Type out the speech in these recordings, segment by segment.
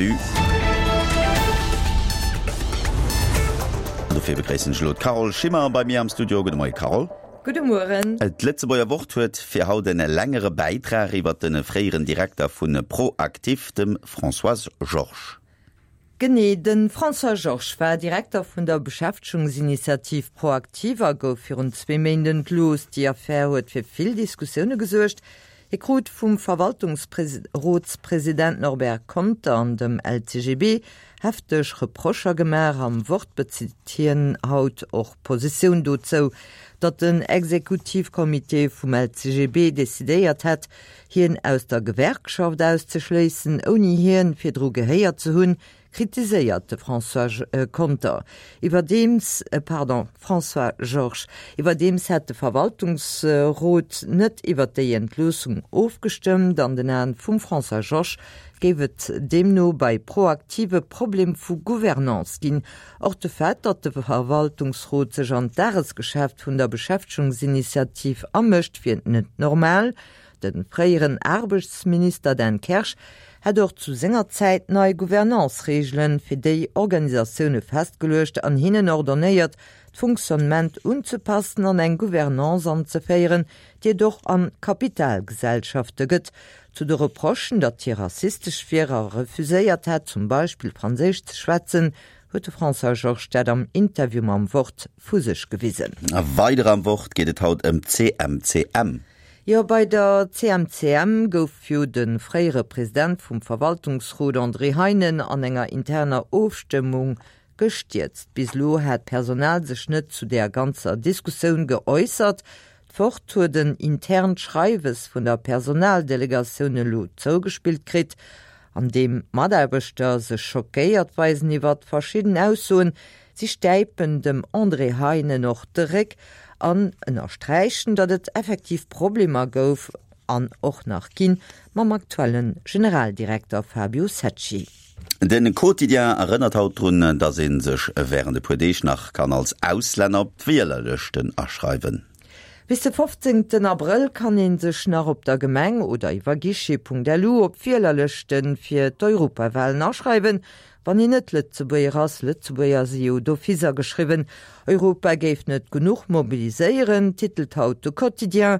Revue. An dofir begréissen ech elo d'Carole Schimmer bei mir am Studio. Gudde Moie Carole. Gudde Mueren. D'Lëtzebuerger Wort huet fir haut en längere Bäitrag iwwer de fréieren Direkter vu ProActif, dem Françoise Georges. Genee, de François Georges war Direkter vun der Beschäftegungsinitiativ ProActif a gouf virun zwee Méint entlooss. Déi Affär huet fir vill Diskussioune gesuergt. Hie krut vum Verwaltungsrotspresident Norbert Conter an dem LCGB hefteg Reprocher gemaach. Am Wort bezitt hien haut och Positioun dozou, datt den Exekutivcomité vum LCGB decidéiert hätt, hien aus der Gewerkschaft auszeschléissen, ouni hien virdru gehéiert ze hunn, kritiséiert de François Conter iwwerdeems, pardon, François Georges. Iwwerdeems hätt de Verwaltungsrot net iwwer déi Entloossung ofgestëmmt. An den Aen vum François Georges géif et deemno bei ProActive e Problem vu Gouvernance ginn. Och de Fait, datt de Verwaltungsrot sech an d'Dagesgeschäft vun der Beschäftegungsinitiativ amëscht, wier net normal. De fréieren Aarbechtsminister Dan Kersch hätt och zu senger Zäit nei Gouvernance-Reegele fir déi Organisatioune festgeluecht an hinnen ordonnéiert, d'Fonctionnement unzepassen an eng Gouvernance anzeféieren, déi et och a Kapitalgesellschafte gëtt. Zu de Reprochen, datt hie rassistesch wier a refuséiert hätt, zum Beispill Franséisch ze schwätzen, huet de François Georges dat am Interview mam Wort vu sech gewisen. A weider am Wort geet et haut ëm d'CMCM. Jo, bei der CMCM gouf jo de fréiere President vum Verwaltungsrot André Heinen an enger interner Ofstëmmung gestierzt. Bis elo hat d'Personal sech net zu där ganzer Diskussioun geäussert. D'Wort huet en internt Schreiwes vun der Personaldelegatioun elo zougespillt kritt, an deem d'Mataarbechter sech schockéiert weisen iwwert verschidden Aussoen. Si stäipen dem André Heinen och de Réck an ënnersträichen, datt et effektiv Problemer gouf an och nach ginn mam aktuelle Generaldirekter Fabio Secci. De Quotidien erënnert haut drun, datt ee sech wärend e puer Deeg nach kann als Auslänner op d'Wielerlëschten aschreiwen. Bis de 15 Abrëll kann ee sech nach op der Gemeng oder iwwer guichet.lu op d'Wielerlëschte fir d'Europawalen aschreiwen, wann een net Lëtzebuerger ass. Lëtzebuerger si jo d'office ageschriwwen. Europa géif net genuch mobiliséieren, titelt haut de Quotidien.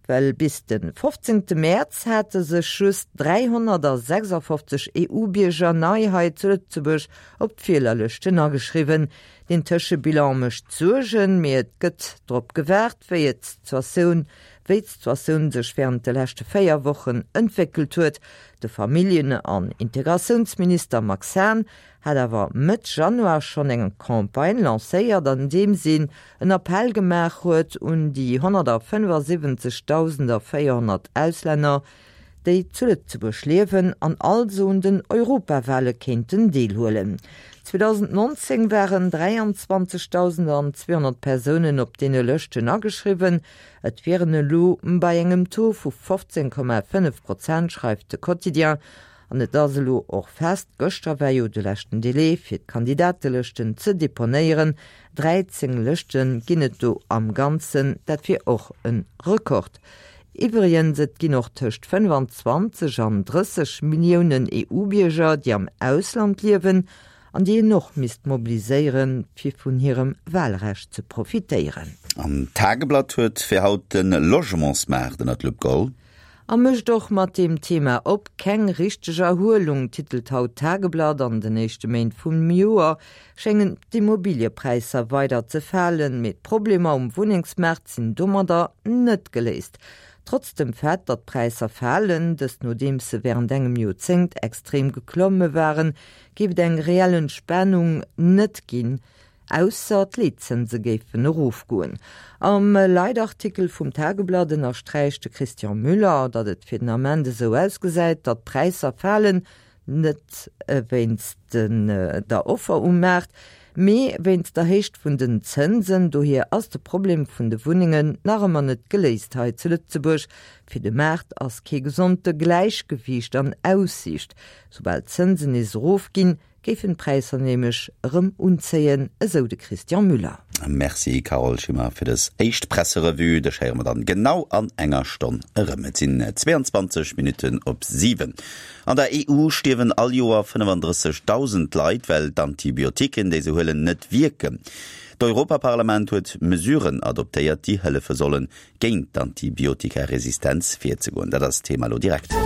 Well bis de 15 Mäerz hate sech just 356 EU-Bierger nei hei zu Lëtzebuerg op d'Wielerlëschten ageschriwwen. Deen Tëschebilan mécht Suergen, mee et gëtt drop gewaart, wéi et d'Situatioun wéi d'Situatioun sech wärend de leschte 4 Wochen entwéckelt huet. De Familljen an Integratiounsminister Max Hahn hat awer Mëtt Januar schonn eng Campagne lancéiert, an deem si en Appell gemaach huet un déi 175.400 Auslänner, déi zu Lëtzebuerg liewen an also un den Europawale kéinten deelhuelen. 2019 waren 23.200 Persounen op deene Lëschten ageschriwwen. Et wieren elo bei engem Taux vu 15,5 Prozent, schreift de Quotidien. An et ass elo och fest, gëschter war jo de leschten Delai fir d'Kandidatelëschten ze deponéieren, 13 Lëschte ginn et do am Ganzen, dat wier och e Rekord. Iwwregens, et ginn och tëscht 25 an 30 Milliounen EU-Bierger, déi am Ausland liewen an déi een och misst mobiliséieren, fir vun hirem Wahlrecht ze profitéieren. An d'Tageblatt huet fir haut de Logementsmaart ënner d'Lupp geholl. A mécht och mat deem Thema op. Keng richteg Erhuelung, titelt haut d'Tageblatt. An den éischte Méint vum Joer schéngen d'Immobiliëpräisser weider ze falen, mee d'Problemer um Wunnengsmaart sinn domadder net geléist. Trotz dem Fait, datt d'Präisser falen, dëst nodeems se wärend engem Joerzéngt extrem geklomme waren, géif et eng reell Entspanung net ginn. Ausser d'Leetzënse géifen erofgoen. Am Leitartikel vum Tageblatt ënnersträicht de Christian Müller, datt et fir den Ament esou ausgesäit, datt d'Präisser falen, net wéinst der Offer um Maart, mee wéinst der Héicht vun den Zënsen. Dohier ass de Problem vun de Wunnengen nach ëmmer net geléist hei zu Lëtzebuerg. Fir de Maart ass kee gesonte Gläichgewiicht an Aussiicht. Soubal d'Zënsen nees erofginn, Géifen d'Präisser nämlech erëm unzéien, esou de Christian Müller. Merci Carole Schimmer fir dës éischt Presserevue. Dech héiere mer dann genau an enger Stonn erëm. Et sinn 22 Minutten op 7. An der EU stierwen all Joer 35.000 Leit, well d'Antibiotiquen, déi se huelen, net wierken. D'Europaparlament huet Mesuren adoptéiert, déi hëllefe sollen, géint d'Antibiotikaresistenz virzegoen. Dat ass d'Thema elo direkt.